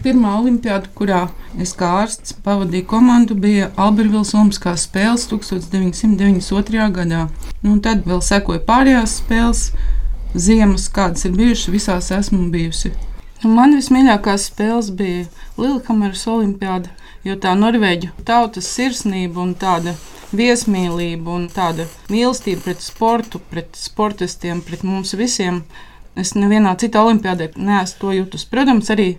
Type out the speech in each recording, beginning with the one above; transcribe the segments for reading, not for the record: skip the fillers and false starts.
Pirmā olimpiāda, kurā es kā ārsts pavadīju komandu, bija Albertvils Olimpiskās spēles 1992. gadā. Tad vēl sekoja pārējās spēles, ziemas, kādas ir bijušas, visās esmu bijusi. Man vismīļākās spēles bija Lillehammeras olimpiāda, jo tā norvēģu tautas sirsnība un tāda viesmīlība un tāda mīlestība pret sportu, pret sportistiem, pret mums visiem. Es nevienā citā olimpiādē neesmu to jutus. Protams, arī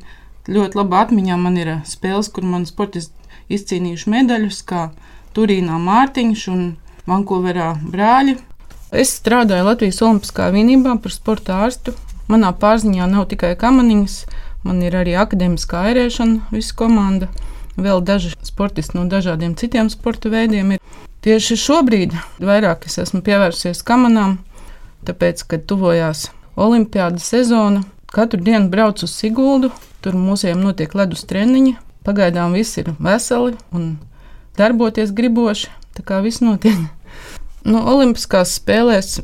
ļoti labā atmiņā man ir spēles, kur man sportisti izcīnījuši medaļus, kā Turīnā Mārtiņš un Vankuverā brāļi. Es strādāju Latvijas Olimpiskā vienībā par sporta ārstu. Manā pārziņā nav tikai kamaniņas, man ir arī akadēmiskā airēšana, visa komanda. Vēl daži sportisti no dažādiem citiem sporta veidiem ir. Tieši šobrīd vairāk es esmu pievērsies kamanām, tāpēc, kad tuvojās olimpiādas sezona, katru dienu braucu uz Siguldu, tur mūsiem notiek ledus treniņi. Pagaidām visi ir veseli un darboties griboši, tā kā viss notiek. Olimpiskās spēlēs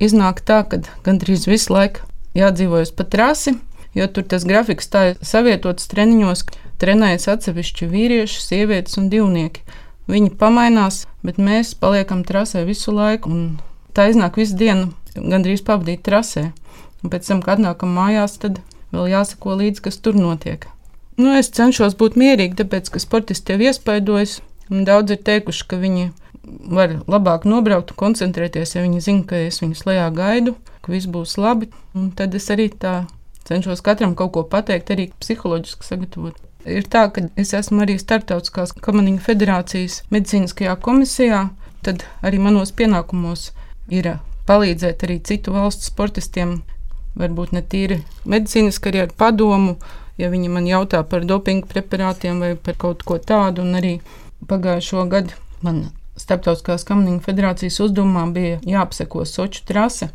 iznāk tā, ka gandrīz visu laiku jādzīvojas pa trasi, jo tur tas grafiks tā savietots treniņos, trenējas atsevišķi vīrieši, sievietes un divnieki. Viņi pamainās, bet mēs paliekam trasē visu laiku, un tā iznāk visu dienu gandrīz pavadīt trasē. Un pēc tam, kad atnākam mājās, tad vēl jāsako līdzi, kas tur notiek. Es cenšos būt mierīgi, tāpēc, ka sportisti jau iespaidojas, un daudz ir teikuši, ka viņi var labāk nobraukt un koncentrēties, ja viņi zina, ka es viņus lejā gaidu, ka viss būs labi. Un tad es arī tā cenšos katram kaut ko pateikt, arī psiholoģiski sagatavot. Ir tā, ka es esmu arī Starptautiskās kamaniņu federācijas medicīniskajā komisijā, tad arī manos pienākumos ir palīdzēt arī citu valstu sportistiem, varbūt ne tīri medicīniski, arī ar padomu, ja viņi man jautā par dopingu preparātiem vai par kaut ko tādu. Un arī pagājušo gadu man Starptautiskās kamaniņu federācijas uzdevumā bija jāapseko Soču trase.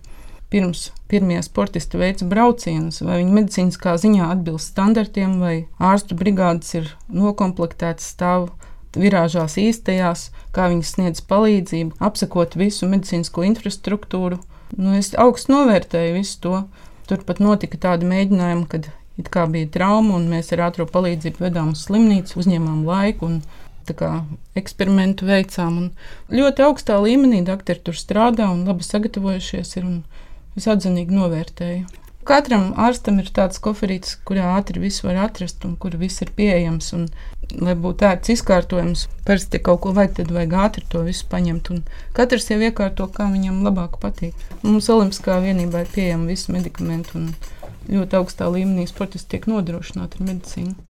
Pirms pirmie sportisti veica braucienus, vai viņi medicīniskā ziņā atbilst standartiem, vai ārstu brigādes ir nokomplektētas, stāv virāžās īstajās, kā viņi sniedz palīdzību, apsekot visu medicīnisko infrastruktūru. Es augstu novērtēju visu to. Turpat notika tādi mēģinājumi, kad it kā bija trauma, un mēs ar ātro palīdzību vedām uz slimnīcu, uzņēmām laiku un tā kā eksperimentu veicām. Un ļoti augstā līmenī doktori tur strādā un labi sagatavojušies ir, un es atzinīgi novērtēju. Katram ārstam ir tāds koferītis, kurā ātri visu var atrast un kur viss ir pieejams. Un, lai būtu ērts izkārtojums, parasti kaut ko vajag, tad vajag ātri to visu paņemt. Un katrs jau iekārto, kā viņam labāk patīk. Mums Olimpiskā vienībā ir pieejami visi medikamenti un ļoti augstā līmenī sportisti tiek nodrošināti ar medicīnu.